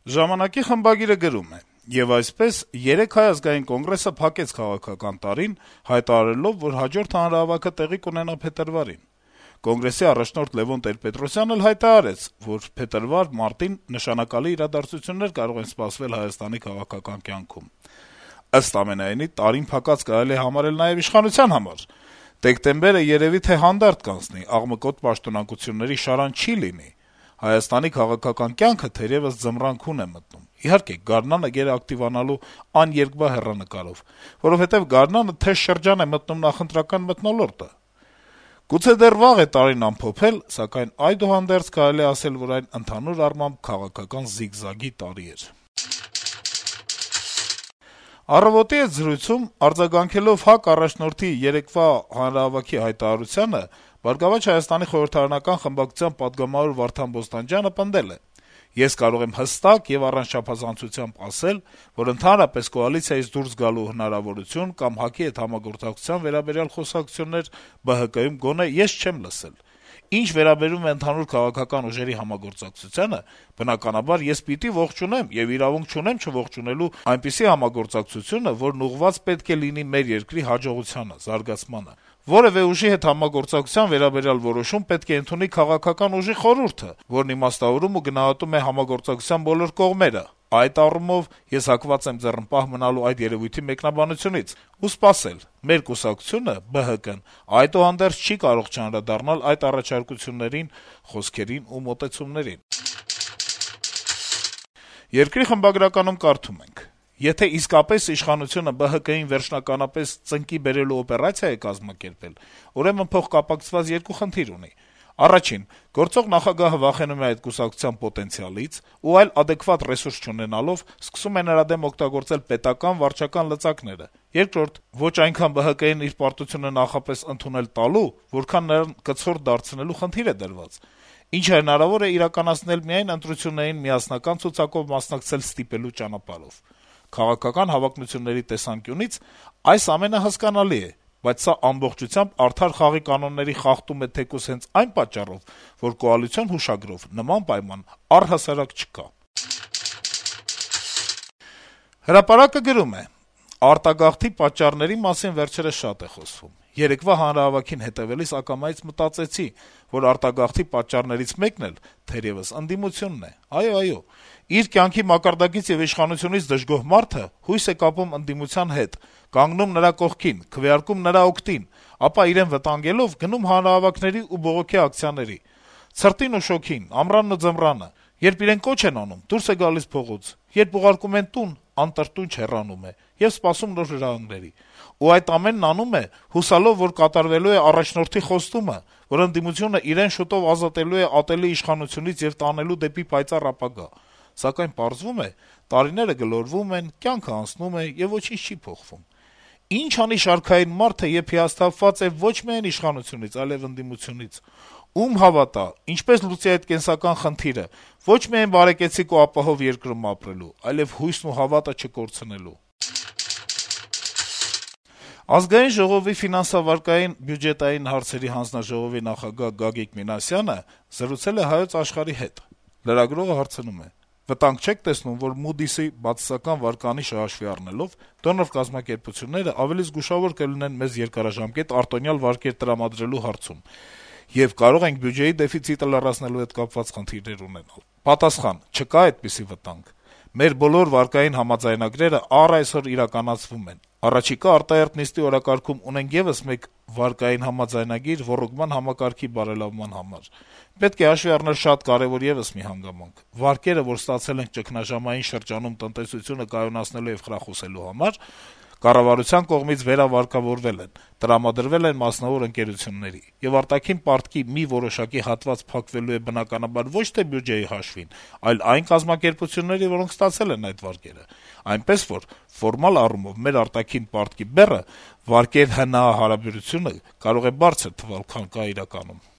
Ժամանակի խմբագիրը գրում է. - «Եվ այսպես, 3 Հայ ազգային կոնգրեսը փակեց քաղաքական տարին, հայտարարելով, որ հաջորդ հանրահավաքը տեղի կունենա փետրվարին: Կոնգրեսի առաջնորդ Լեւոն Տեր-Պետրոսյանն էլ հայտարարեց, որ փետրվար-մարտին նշանակալի իրադարձություններ կարող են սպասվել Հայաստանի քաղաքական կյանքում: Ըստ ամենայնի, տարին փակած կարելի է համարել նաեւ իշխանության համար: Դեկտեմբերը երեւի թե հանդարտ կանցնի, աղմկոտ պաշտոնակությունների շարան չի լինի: Հայաստանի քաղաքական կյանքը թերեւս ձմռանքուն է մտնում: Իհարկե, գարնանը գերակտիվանալու աներկբա հեռանկարով, որովհետեւ գարնանը թեժ շրջան է մտնում նախընտրական մթնոլորտը: Գուցե դեռ վաղ է տարին ամփոփել, սակայն այդուհանդերձ կարելի է ասել, որ այն ընդհանուր առմամբ քաղաքական զիգզագի տարի էր»: «Առավոտ»-ի հետ զրույցում արձագանքելով ՀԱԿ առաջնորդի երեկվա հանրահավաքի հայտարարությանը, «Բարգավաճ Հայաստանի» խորհրդարանական խմբակցության պատգամավոր Վարդան Բոստանջյանը պնդել է. - «Ես կարող եմ հստակ եւ առանց չափազանցությամբ ասել, որ ընդհանրապես կոալիցիայից դուրս գալու հնարավորություն կամ ՀԱԿ-ի հետ համագործակցության վերաբերյալ խոսակցություններ ԲՀԿ-ում գոնե ես չեմ լսել: Ինչ վերաբերում է ընդհանուր քաղաքական ուժերի համագործակցությանը, բնականաբար, ես պիտի ողջունեմ եւ իրավունք չունեմ չողջունելու այնպիսի համագործակցությունը, որն ուղղված պետք է լինի մեր երկրի հաջողությանը, զարգացմանը: Որեւէ ուժի հետ համագործակցության վերաբերյալ որոշում պետք է ընդունի քաղաքական ուժի խորհուրդը, որն իմաստավորում ու գնահատում է համագործակցության բոլոր կողմերը: Այդ առումով ես հակված եմ ձեռնպահ մնալու այդ երեւույթի մեկնաբանությունից ու սպասել: Մեր կուսակցությունը` ԲՀԿ-ն, այդուհանդերձ չի կարող չանդրադառնալ այդ առաջարկություններին, խոսքերին ու մոտեցումներին»: «Երկիր» խմբագրականում կարդում ենք. - «Եթե իսկապես իշխանությունը ԲՀԿ-ին վերջնականապես ծնկի բերելու օպերացիա է կազմակերպել, ուրեմն փոխկապակցված երկու խնդիր ունի: Առաջին` գործող նախագահը վախենում է այդ կուսակցության պոտենցիալից ու այլ ադեկվատ ռեսուրս չունենալով, սկսում է նրա դեմ օգտագործել պետական, վարչական լծակները: Երկրորդ` ոչ այնքան ԲՀԿ-ին իր պարտությունը նախապես ընդունել տալու, որքան նրան կցորդ դարձնելու խնդիր է դրված, ինչը հնարավոր է իրականացնել միայն ընտրություններին միասնական ցուցակով մասնակցել ստիպելու ճանապարհով: Քաղաքական հավակնությունների տեսանկյունից այս ամենը հասկանալի է, բայց սա ամբողջությամբ արդար խաղի կանոնների խախտում է թեկուզ հենց այն պատճառով, որ կոալիցիոն հուշագրով նման պայման առհասարակ չկա»: «Հրապարակ»-ը գրում է. - «Արտագաղթի պատճառների մասին վերջերս շատ է խոսվում: Երեկվա հանրահավաքին հետեւելիս ակամայից մտածեցի, որ արտագաղթի պատճառներից մեկն էլ թերեւս ընդդիմությունն է: Այո, իր կյանքի մակարդակից եւ իշխանությունից դժգոհ մարդը հույս է կապում ընդդիմության հետ, կանգնում նրա կողքին, քվեարկում նրա օգտին, ապա իրեն վտանգելով գնում հանրահավաքների ու բողոքի ակցիաների: Ցրտին ու շոգին, ամռանն ու ձմռանը: Երբ իրեն կոչ են անում, դուրս է գալիս փողոց, երբ ուղարկում են տուն, անտրտունջ հեռանում է եւ սպասում նոր հրահանգների: Ու այդ ամենն անում է, հուսալով, որ կատարվելու է առաջնորդի խոստումը, որ ընդդիմությունը իրեն շուտով ազատելու է ատելի իշխանությունից եւ տանելու դեպի պայծառ ապագա: Սակայն պարզվում է, տարիները գլորվում են, կյանքն անցնում է եւ ոչինչ չի փոխվում: Ինչ անի շարքային մարդը, երբ հիասթափված է ոչ միայն իշխանությունից, այլեւ ընդդիմությունից: Ում հավատա, ինչպես լուծի այդ կենսական խնդիրը, ոչ միայն բարեկեցիկ ու ապահով երկրում ապրելու, այլեւ հույսն ու հավատը չկորցնելու»: Ազգային ժողովի ֆինանսավարկային բյուջետային հարցերի հանձնաժողովի նախագահ Գագիկ Մինասյանը զրուցել է «Հայոց Աշխարհ»-ի հետ: Լրագրողը հարցնում է. - «Վտանգ չեք տեսնում, որ Moody's-ի բացասական վարկանիշը հաշվի առնելով դոնոր կազմակերպությունները ավելի զգուշավոր կլինեն մեզ երկարաժամկետ արտոնյալ վարկեր տրամադրելու հարցում, եւ կարող ենք բյուջեի դեֆիցիտը լրացնելու հետ կապված խնդիրներ ունենալ»: Պատասխան. - «Չկա այդպիսի վտանգ: Մեր բոլոր վարկային համաձայնագրերը առ այսօր իրականացվում են: Առաջիկա արտահերթ նիստի օրակարգում ունենք եւս մեկ վարկային համաձայնագիր ոռոգման համակարգի բարելավման համար: Պետք է հաշվի առնել շատ կարեւոր եւս մի հանգամանք. վարկերը, որ ստացել ենք ճգնաժամային շրջանում տնտեսությունը կայունացնելու եւ խրախուսելու համար, կառավարության կողմից վերավարկավորվել են, տրամադրվել են մասնավոր ընկերությունների: Եվ արտաքին պարտքի մի որոշակի հատված փակվելու է բնականաբար ոչ թե բյուջեի հաշվին, այլ այն կազմակերպությունների, որոնք ստացել են այդ վարկերը: Այնպես որ, ֆորմալ առումով մեր արտաքին պարտքի բեռը, վարկեր ՀՆԱ հարաբերությունը կարող է բարձր թվալ, քան կա իրականում»: